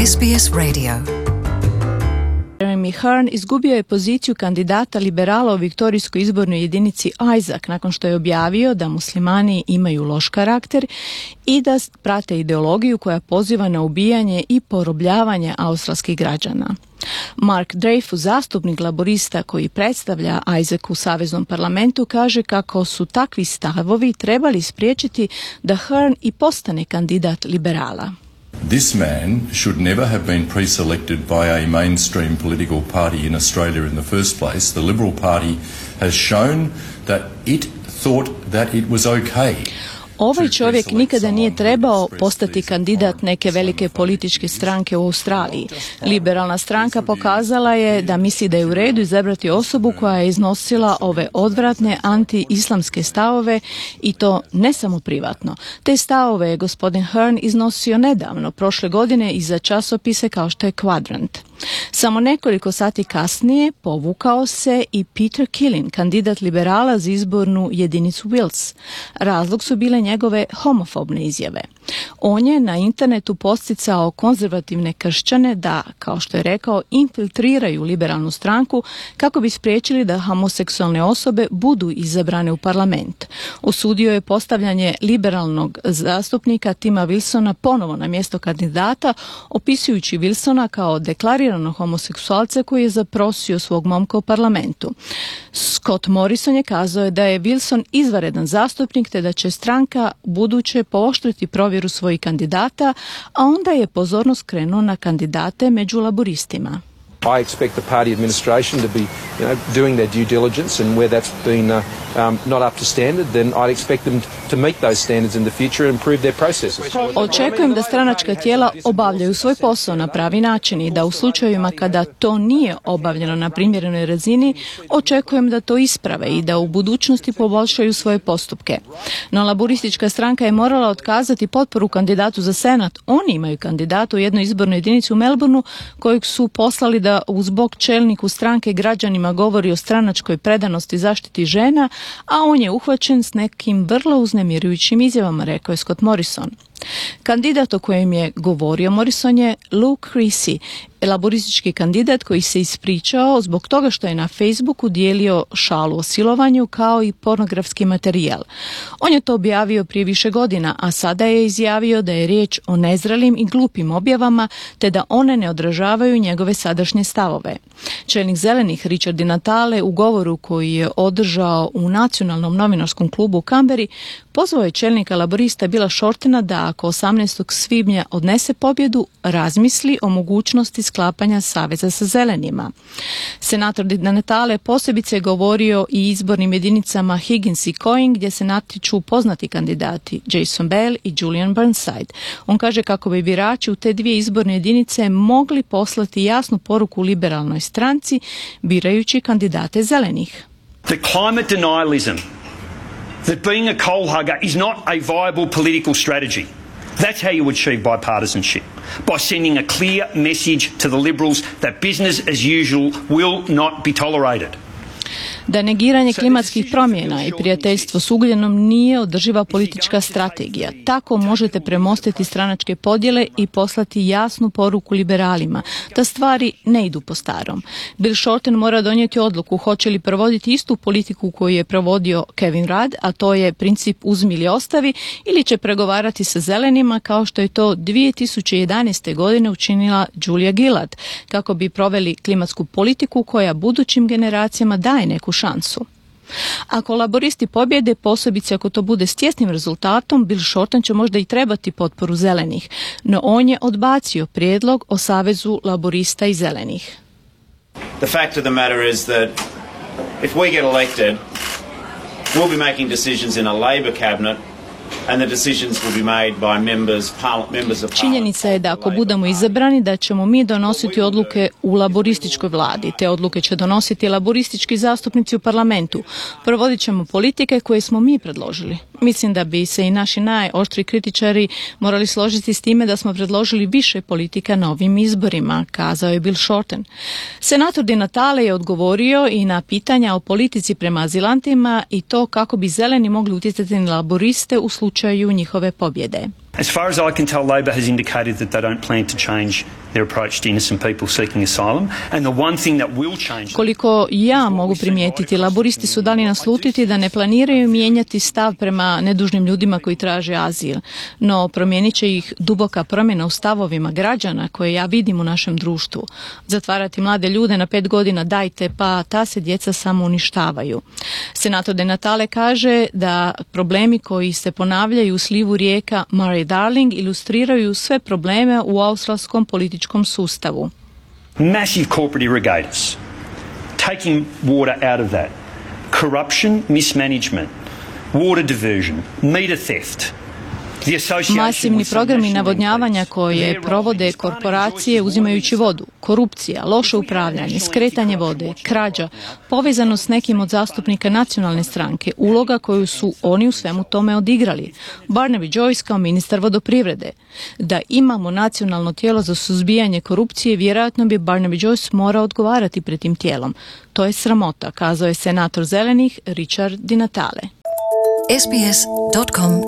SBS Radio. Jeremy Hearn izgubio je poziciju kandidata liberala u viktorijskoj izbornoj jedinici Isaac nakon što je objavio da muslimani imaju loš karakter i da prate ideologiju koja poziva na ubijanje i porobljavanje australskih građana. Mark Dreyfus, zastupnik laborista koji predstavlja Isaac u Saveznom parlamentu, kaže kako su takvi stavovi trebali spriječiti da Hearn i postane kandidat liberala. This man should never have been pre-selected by a mainstream political party in Australia in the first place. The Liberal Party has shown that it thought that it was okay. Ovaj čovjek nikada nije trebao postati kandidat neke velike političke stranke u Australiji. Liberalna stranka pokazala je da misli da je u redu izabrati osobu koja je iznosila ove odvratne anti-islamske stavove i to ne samo privatno. Te stavove je gospodin Hearn iznosio nedavno, prošle godine, i za časopise kao što je Quadrant. Samo nekoliko sati kasnije povukao se i Peter Killen, kandidat liberala za izbornu jedinicu Wills. Razlog su bile njegove homofobne izjave. On je na internetu posticao konzervativne kršćane da, kao što je rekao, infiltriraju liberalnu stranku kako bi spriječili da homoseksualne osobe budu izabrane u parlament. Osudio je postavljanje liberalnog zastupnika Tima Wilsona ponovo na mjesto kandidata, opisujući Wilsona kao deklariranog homoseksualca koji je zaprosio svog momka u parlamentu. Scott Morrison je kazao da je Wilson izvanredan zastupnik te da će stranka buduće pooštriti provjeru svojih kandidata, a onda je pozornost krenuo na kandidate među laboristima. I expect the party administration to be, doing their due diligence, and where that's been not up to standard, then I'd expect them to meet those standards in the future and improve their processes. Očekujem da stranačka tijela obavljaju svoj posao na pravi način i da u slučajevima kada to nije obavljeno na primjerenoj razini, očekujem da to isprave i da u budućnosti poboljšaju svoje postupke. No laboristička stranka je morala otkazati potporu kandidatu za senat. Oni imaju kandidata u jednoj izbornoj jedinici u Melbourneu kojeg su poslali da uz bok čelniku stranke građanima govori o stranačkoj predanosti zaštiti žena, a on je uhvaćen s nekim vrlo uznemirujućim izjavama, rekao je Scott Morrison. Kandidat o kojem je govorio Morrison je Luke Creasy, laboristički kandidat koji se ispričao zbog toga što je na Facebooku dijelio šalu o silovanju kao i pornografski materijal. On je to objavio prije više godina, a sada je izjavio da je riječ o nezrelim i glupim objavama te da one ne odražavaju njegove sadašnje stavove. Čelnik Zelenih Richard Di Natale u govoru koji je održao u Nacionalnom novinarskom klubu u Canberri pozvao je čelnika laborista Billa Shortena da ako 18. svibnja odnese pobjedu, razmisli o mogućnosti sklapanja saveza sa zelenima. Senator Di Natale posebice je govorio i izbornim jedinicama Higgins i Coing gdje se natječu poznati kandidati Jason Bell i Julian Burnside. On kaže kako bi birači u te dvije izborne jedinice mogli poslati jasnu poruku liberalnoj stranci birajući kandidate zelenih. The climate denialism that being a coal hugger is not a viable political strategy. That's how you achieve bipartisanship, by sending a clear message to the Liberals that business as usual will not be tolerated. Da negiranje klimatskih promjena i prijateljstvo s ugljenom nije održiva politička strategija. Tako možete premostiti stranačke podjele i poslati jasnu poruku liberalima da stvari ne idu po starom. Bill Shorten mora donijeti odluku hoće li provoditi istu politiku koju je provodio Kevin Rudd, a to je princip uzmi ili ostavi, ili će pregovarati sa zelenima kao što je to 2011. godine učinila Julia Gillard, kako bi proveli klimatsku politiku koja budućim generacijama daje neku šansu. Ako laboristi pobjede, posebice ako to bude s tjesnim rezultatom, Bill Shorten će možda i trebati potporu zelenih, no on je odbacio prijedlog o savezu laborista i zelenih. The fact of the matter is that if we get elected, we'll be making decisions in a Labor cabinet. And the decisions will be made by members of parliament. Činjenica je da ako budemo izabrani da ćemo mi donositi odluke u laborističkoj vladi. Te odluke će donositi laboristički zastupnici u parlamentu. Provodit ćemo politike koje smo mi predložili. Mislim da bi se i naši najoštriji kritičari morali složiti s time da smo predložili više politika na ovim izborima, kazao je Bill Shorten. Senator Di Natale je odgovorio i na pitanja o politici prema azilantima i to kako bi zeleni mogli utjecati na laboriste u slučaju njihove pobjede. As far as I can tell, Labor has indicated that they don't plan to change their approach to innocent people seeking asylum. And the one thing that will change... Koliko ja mogu primijetiti, laboristi su dali naslutiti da ne planiraju mijenjati stav prema nedužnim ljudima koji traže azil. No promijenit će ih duboka promjena u stavovima građana koje ja vidim u našem društvu. Zatvarati mlade ljude na 5 godina dajte, pa ta se djeca samo uništavaju. Senator De Natale kaže da problemi koji se ponavljaju u slivu rijeka Murray-Darling ilustriraju sve probleme u australskom političkom sustavu. Massive corporate irrigators, taking water out of that, corruption, mismanagement, water diversion, meter theft. Masivni programi navodnjavanja koje provode korporacije uzimajući vodu, korupcija, loše upravljanje, skretanje vode, krađa, povezano s nekim od zastupnika nacionalne stranke, uloga koju su oni u svemu tome odigrali. Barnaby Joyce kao ministar vodoprivrede. Da imamo nacionalno tijelo za suzbijanje korupcije, vjerojatno bi Barnaby Joyce morao odgovarati pred tim tijelom. To je sramota, kazao je senator Zelenih Richard Di Natale. sbs.com.au